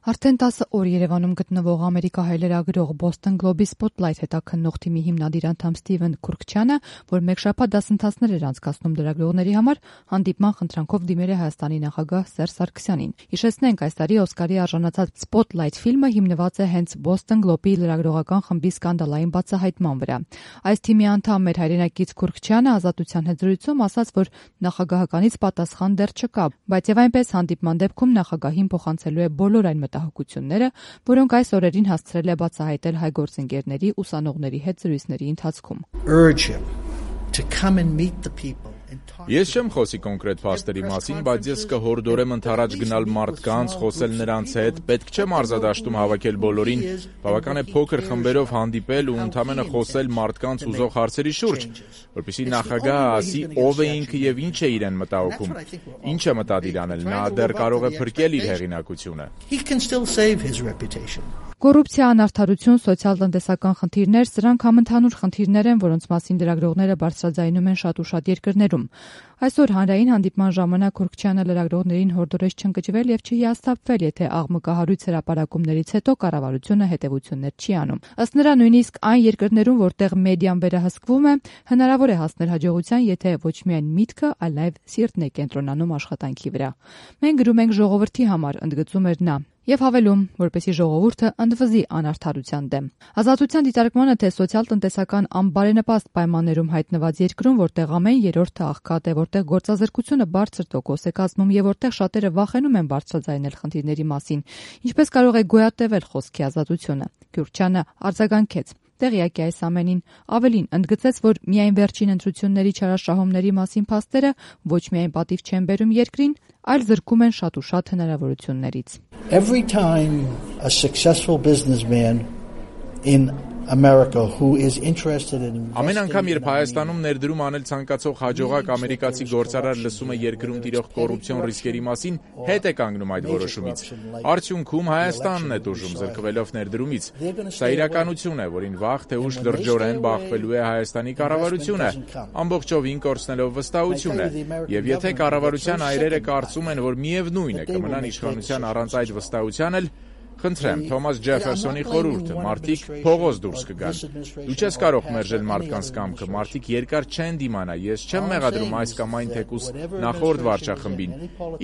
Արդեն 10 օր Երևանում գտնվող ամերիկահայ լրագրող Boston Globe-ի Spotlight հետաքննող թիմի հիմնադիր անդամ Սթիվեն Քուրքչյանը, որ մեկ շաբաթ դասընթացներ էր անցկացնում լրագրողների համար, հանդիպման խնդրանքով դիմել է Հայաստանի նախագահ Սերժ Սարգսյանին։ Հիշեցնենք, այս տարի Օսկարի արժանացած Spotlight ֆիլմը հիմնված է հենց Boston Globe-ի լրագրողական խմբի սկանդալային բացահայտման վրա։ Այս թիմի անդամ մեր հայրենակից Քուրքչյանը Ազատության հետ զրույցում ասաց, որ նախագահականից պատասխան դեռ չկա, բայց եւ այնպես հանդիպման դեպքում նախագահին փոխանցելու է բոլոր այն մտահոգությունները, որոնք այս օրերին հասցրել է բացահայտել հայ գործընկերների, ուսանողների հետ զրույցների ընթացքում։ Ես չեմ խոսի կոնկրետ փաստերի մասին, բայց ես կհորդորեմ ընդառաջ գնալ մարդկանց, խոսել նրանց հետ, պետք չէ մարզադաշտում հավաքել բոլորին, բավական է փոքր խմբերով հանդիպել ու ընդամենը խոսել մարդկանց ուզող հարցերի շուրջ, որպեսզի նախագահը ասի ով է ինքը եւ ինչ է իրեն մտահոգում, ինչ է մտադիր անել, նա դեռ կարող է փրկել իր հեղինակությունը։ Կոռուպցիա, անարդարություն, սոցիալ-տնտեսական խնդիրներ, սրանք համընդհանուր խնդիրներ են, որոնց մասին լրագրողները բարձրաձայնում են շատ ու շատ երկրներում։ Այսօր հանրային հանդիպման ժամանակ Քուրքչյանը լրագրողներին հորդորեց չընկճվել եւ չհիասթափվել, եթե աղմկահարույց հրապարակումներից հետո կառավարությունը հետեւություններ չի անում։ Ըստ նրա, նույնիսկ այն երկրներում, որտեղ մեդիան վերահսկվում է, հնարավոր է հասնել հաջողության, եթե ոչ միայն միտքը, այլև սիրտն է կենտրոնանում աշխատանքի վրա։ Մենք գրում ենք ժողովրդի համար, ընդգծում էր նա։ Եվ հավելում, որպեսզի ժողովուրդը ընդվզի անարդարության դեմ։ Ազատության դիտարկմանը, թե սոցիալ-տնտեսական անբարենպաստ պայմաններում հայտնված երկրում, որտեղ ամեն երրորդը աղքատ է, որտեղ գործազրկությունը բարձր տոկոս է կազմում եւ որտեղ շատերը վախենում են բարձրաձայնել խնդիրների մասին, ինչպես կարող է գոյատևել խոսքի ազատությունը։ Քուրքչյանը արձագանքեց. Տեղյակ է այս ամենին, ավելին ընդգծեց, որ միայն վերջին ընտրությունների չարաշահումների մասին փաստերը ոչ միայն պատիվ չեն բերում երկրին, այլ զրկում են շատ ու շատ հնարավորություններից։ Every time a successful businessman in America who is interested in Ամեն անգամ, երբ Հայաստանում ներդրում անել ցանկացող հաջողակ ամերիկացի գործարար լսում է երկրում տիրող կոռուպցիոն ռիսկերի մասին, հետ է կանգնում այդ որոշումից։ Արդյունքում Հայաստանն է տուժում զրկվելով ներդրումից։ Սա իրականություն է, որին վաղ թե ուշ լրջորեն բախվելու է Հայաստանի կառավարությունը, ամբողջովին կորցնելով վստահություն է։ Եվ եթե կառավարության այրերը կարծում են, որ միևնույն է կմնան իշխանության առանց այդ վստահության էլ, խնդրեմ, Թոմաս Ջեֆերսոնի խորհուրդը, մարդիկ փողոց դուրս կգան։ Դու չես կարող մերժել մարդկանց կամքը, մարդիկ երկար չեն դիմանա, ես չեմ մեղադրում այս կամ այն թեկուզ նախորդ վարչախմբին։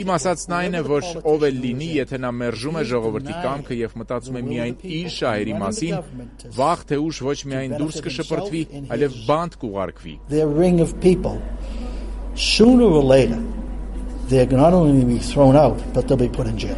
Իմ ասածն այն է, որ ով էլ լինի, եթե նա մերժում է ժողովրդի կամքը եւ մտածում է միայն իր շահերի մասին, վաղ թե ուշ ոչ միայն դուրս կշպրտվի, այլև բանտ կուղարկվի։ Sooner or later, they're not only be thrown out, but they'll be put in jail.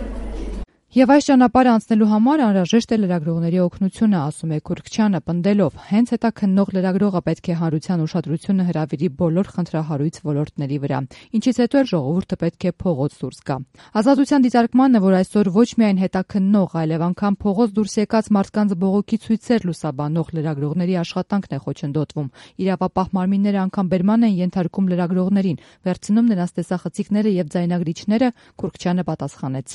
Եվ այս ճանապարհը անցնելու համար անհրաժեշտ է լրագրողների օգնությունը, ասում է Քուրքչյանը, պնդելով, հենց հետաքննող լրագրողը պետք է հանրության ուշադրությունը հրավիրի բոլոր խնդրահարույց ոլորտների վրա, ինչից հետո էլ ժողովուրդը պետք է փողոց դուրս գա։ Ազատության դիտարկմանը, որ այսօր ոչ միայն հետաքննող, այլև անգամ փողոց դուրս եկած մարդկանց բողոքի ցույցեր լուսաբանող լրագրողների աշխատանքն է խոչընդոտվում։ Իրավապահ մարմինները անգամ բերման են ենթարկում լրագրողներին, վերցնում նրանց տեսախցիկները եւ ձայնագրիչները, Քուրքչյանը պատասխանեց.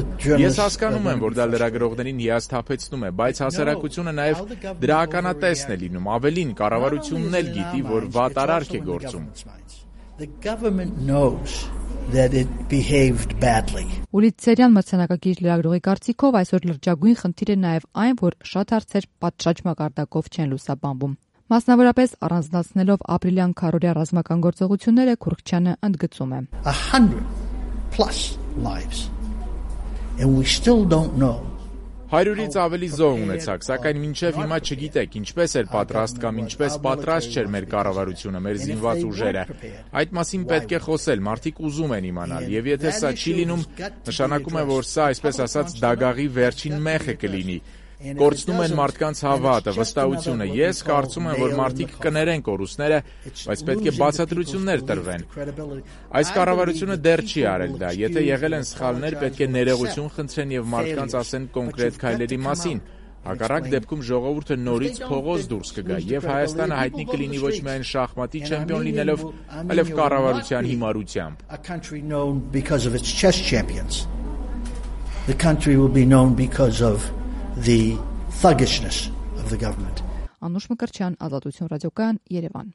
Ես հասկանում եմ, որ դա լրագրողներին հիասթափեցնում է, բայց հասարակությունը նաև դրա ականատեսն է լինում, ավելին կառավարությունն էլ գիտի, որ վատ արարք է գործում։ Ուլիցերյան մրցանակակիր լրագրողի կարծիքով այսօր լրջագույն խնդիր է նաև այն, որ շատ հարցեր պատշաճ մակարդակով չեն լուսաբանվում։ Մասնավորապես առանձնացնելով ապրիլյան քառօրյա ռազմական գործողությունները, Քուրքչյանը ընդգծում է. 100+ lives. And we still don't know. 100-ից ավելի զոհ ունեցաք, սակայն մինչև հիմա չգիտեք ինչպես էր պատրաստ կամ ինչպես պատրաստ չէր մեր կառավարությունը, մեր զինված ուժերը։ Այդ մասին պետք է խոսել, մարդիկ ուզում են իմանալ, եւ եթե սա չի լինում, նշանակում է, որ սա, այսպես ասած, դագաղի վերջին մեխը կլինի։ Կորցնում են մարդկանց հավատը, վստահությունը։ Ես կարծում եմ, որ մարդիկ կներեն կորուստները, բայց պետք է բացատրություններ տրվեն։ Այս կառավարությունը դեռ չի արել դա։ Եթե եղել են սխալներ, պետք է ներողություն խնդրեն եւ մարդկանց ասեն կոնկրետ քայլերի մասին։ Հակառակ դեպքում ժողովուրդը նորից փողոց դուրս կգա եւ Հայաստանը հայտնի կլինի ոչ միայն շախմատի չեմպիոն լինելով, այլև կառավարության հիմարությամբ։ The country will be known because of the thuggishness of the government. Անուշ Մկրտչյան, Ազատություն ռադիոկայան, Երևան։